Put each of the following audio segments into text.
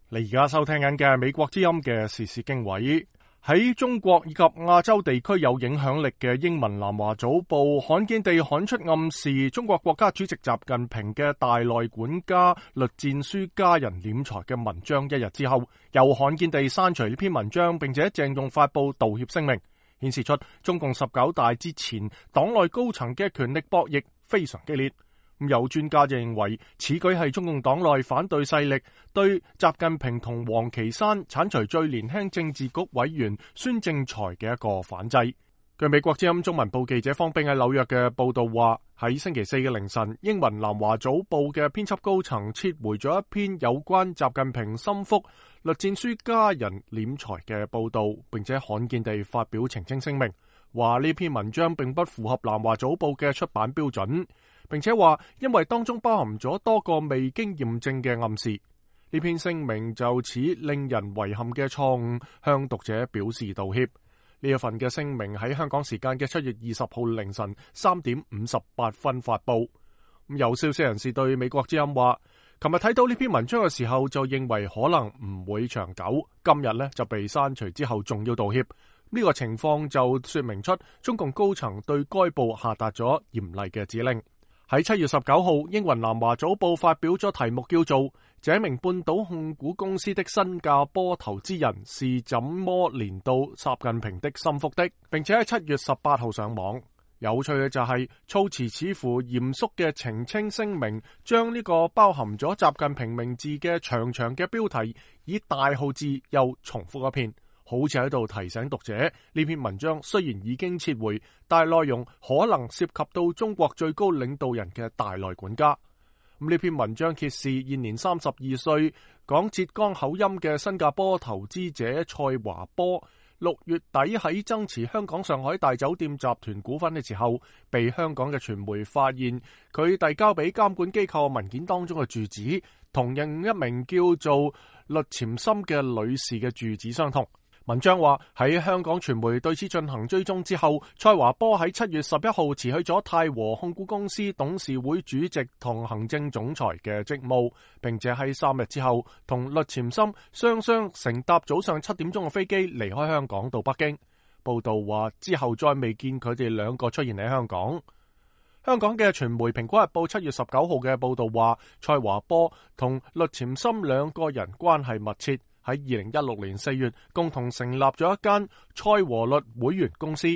你而家收聽緊嘅美國之音嘅時事經緯。喺中國以及亞洲地區有影響力嘅英文南華早報罕見地刊出暗示中國國家主席習近平嘅大內管家栗戰書家人斂財嘅文章一日之後，又罕見地刪除呢篇文章，並且鄭重發佈道歉聲明，顯示出中共19大之前黨內高層嘅權力博弈非常激烈。有專家就認為，此舉係中共黨內反對勢力對習近平同王岐山剷除最年輕政治局委員孫政才嘅一個反制。據美國之音中文部記者方冰喺紐約嘅報道話，喺星期四嘅凌晨，英文南華早報嘅編輯高層撤回咗一篇有關習近平心腹栗戰書家人斂財嘅報道，並且罕見地發表澄清聲明，話呢篇文章並不符合南華早報嘅出版標準，並且話因為當中包含咗多個未經驗證嘅暗示，呢篇聲明就此令人遺憾嘅錯誤向讀者表示道歉。呢一份嘅聲明喺香港時間嘅7月20號凌晨3點58分發佈。有消息人士對美國之音話，琴日睇到呢篇文章嘅時候就認為可能唔會長久，今日呢就被刪除之後仲要道歉。呢個情況就說明出中共高層對該報下達咗嚴厲嘅指令。喺7月19號，英文南華早報發表咗題目叫做《這名半島控股公司的新加坡投資人是怎麼連到習近平的心腹的》，並且喺7月18號上網。有趣嘅就係措辭似乎嚴肅嘅澄清聲明，將呢個包含咗習近平名字嘅長長嘅標題以大號字又重複一遍，好似喺度提醒讀者，呢篇文章雖然已經撤回，但係內容可能涉及到中國最高領導人嘅大內管家。呢篇文章揭示現年32歲、講浙江口音嘅新加坡投資者蔡華波，6月底喺增持香港上海大酒店集團股份嘅時候，被香港嘅傳媒發現佢遞交俾監管機構文件當中嘅住址，同另一名叫做栗潛森嘅女士嘅住址相同。文章話喺香港傳媒對此進行追蹤之後，蔡華波喺7月11號辭去咗泰和控股公司董事會主席同行政總裁嘅職務，並且喺3日之後同栗潛森雙雙乘搭早上7點鐘嘅飛機離開香港到北京。報道話之後再未見佢哋兩個出現喺香港。香港嘅傳媒《蘋果日報》7月19號嘅報道話，蔡華波同栗潛森兩個人關係密切。喺2016年4月，共同成立咗一間蔡和律會員公司。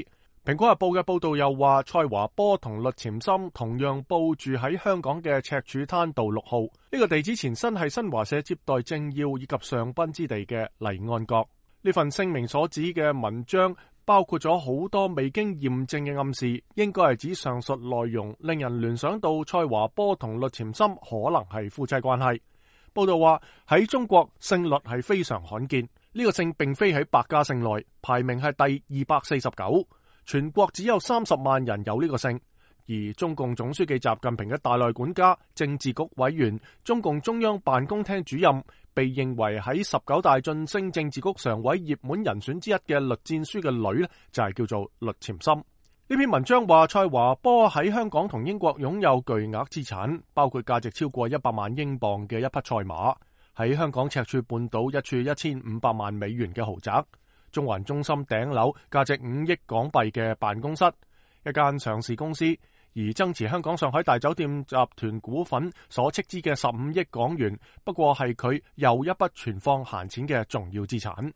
蘋果日報嘅報道又話，蔡華波同栗潛森同樣報住喺香港嘅赤柱灘道6號，呢個地址前身係新華社接待政要以及上賓之地嘅黎安閣。呢份聲明所指嘅文章包括咗好多未經驗證嘅暗示，應該係指上述內容令人聯想到蔡華波同栗潛森可能係夫妻關係。報道話喺中國姓栗係非常罕見，呢個姓並非喺百家姓內，排名係第249，全國只有30萬人有呢個姓。而中共總書記習近平嘅大內管家、政治局委員、中共中央辦公廳主任，被認為喺19大晉升政治局常委熱門人選之一嘅栗戰書嘅女呢，就係叫做栗潛森。呢篇文章話，蔡華波喺香港同英國擁有巨額資產，包括價值超過100萬英鎊嘅一匹賽馬，喺香港赤柱半島一處1500萬美元嘅豪宅，中環中心頂樓價值5億港幣嘅辦公室，一間上市公司，而增持香港上海大酒店集團股份所斥資嘅15億港元，不過係佢又一筆存放閒錢嘅重要資產。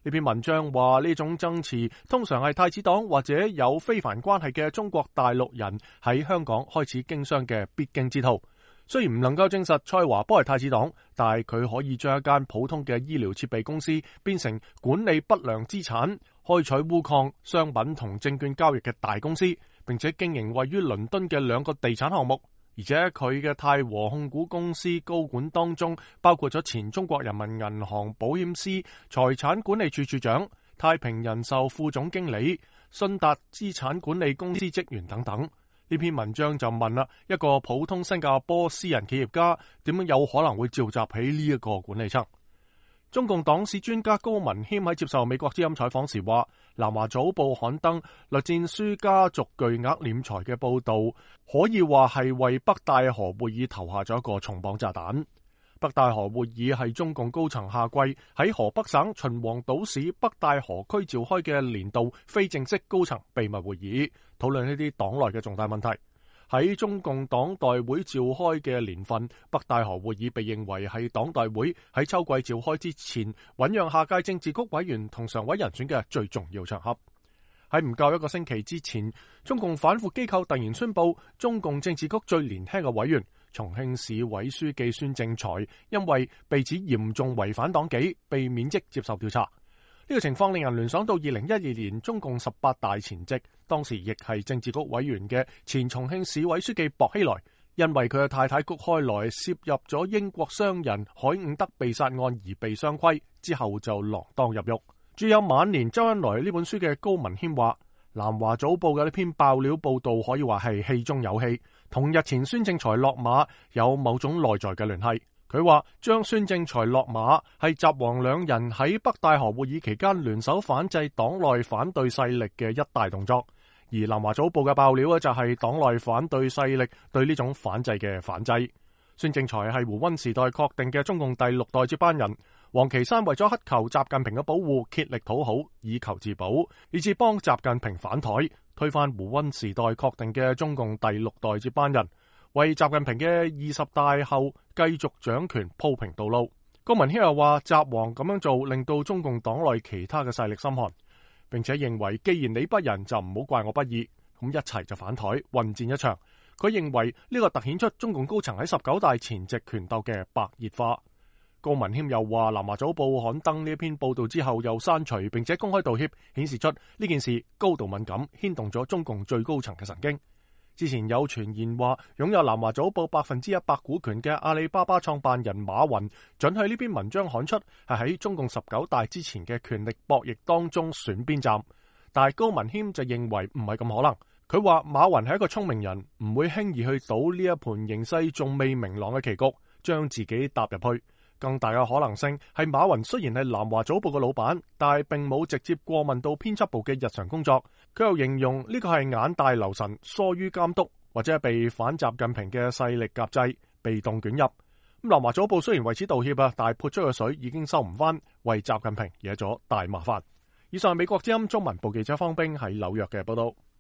呢篇文章話，呢種增持通常係太子黨或者有非凡關係嘅中國大陸人喺香港開始經商嘅必經之途。雖然唔能夠證實蔡華波係太子黨，但係佢可以將一間普通嘅醫療設備公司變成管理不良資產、開採鎢礦、商品同證券交易嘅大公司，並且經營位於倫敦嘅2個地產項目。而且佢嘅泰和控股公司高管當中，包括咗前中國人民銀行保險司財產管理處處長、太平人壽副總經理、信達資產管理公司職員等等。呢篇文章就問啦，一個普通新加坡私人企業家點樣有可能會召集起呢一個管理層？中共黨史專家高文謙喺接受美國之音採訪時話，南華早報刊登栗戰書家族巨額斂財嘅報道，可以話係為北戴河會議投下咗一個重磅炸彈。北戴河會議係中共高層下季喺河北省秦皇島市北戴河區召開嘅年度非正式高層秘密會議，討論呢啲黨內嘅重大問題。喺中共黨代會召開嘅年份，北戴河會議被認為係黨代會喺秋季召開之前醞釀下屆政治局委員同常委人選嘅最重要場合。喺唔夠一個星期之前，中共反腐機構突然宣布，中共政治局最年輕嘅委員重慶市委書記孫政才，因為被指嚴重違反黨紀，被免職接受調查。呢個情況令人聯想到2012年中共18大前夕，當時亦係政治局委員嘅前重慶市委書記薄熙來，因為佢嘅太太谷開來涉入咗英國商人海伍德被殺案而被雙規，之後就鋃鐺入獄。著有《晚年周恩來》呢本書嘅高文謙話，南華早報嘅呢篇爆料報道可以話係戲中有戲，同日前孫政才落馬有某種內在嘅聯繫。佢話將孫政才落馬係習王兩人喺北戴河會議期間聯手反制黨內反對勢力嘅一大動作，而南華早報嘅爆料就係黨內反對勢力對呢種反制嘅反制。孫政才係胡溫時代確定嘅中共第6代接班人，王岐山為咗乞求習近平嘅保護，竭力討好以求自保，以致幫習近平反台，推翻胡溫時代確定嘅中共第6代接班人，為習近平嘅20大後繼續掌權鋪平道路。高文謙又話，習王咁樣做令到中共黨內其他嘅勢力心寒，並且認為既然你不仁就唔好怪我不義，咁一齊就反台混戰一場。佢認為呢個凸顯出中共高層喺19大前夕權鬥嘅白熱化。高文謙又話，南華早報刊登呢篇報道之後又刪除並且公開道歉，顯示出呢件事高度敏感，牽動咗中共最高層嘅神經。之前有傳言話，擁有南華早報100%股權嘅阿里巴巴創辦人馬雲准許呢篇文章刊出，係喺中共19大之前嘅權力博弈當中選邊站。但係高文謙就認為唔係咁可能。佢話馬雲係一個聰明人，唔會輕易去賭呢一盤形勢仲未明朗嘅棋局，將自己踏入去。更大嘅可能性係馬雲雖然係南華早報嘅老闆，但係並冇直接過問到編輯部嘅日常工作。佢又形容呢個係眼大留神，疏於監督，或者係被反習近平嘅勢力夾制，被動捲入。咁南華早報雖然為此道歉啊，但係潑出嘅水已經收唔翻，為習近平惹咗大麻煩。以上係美國之音中文部記者方冰喺紐約嘅報道。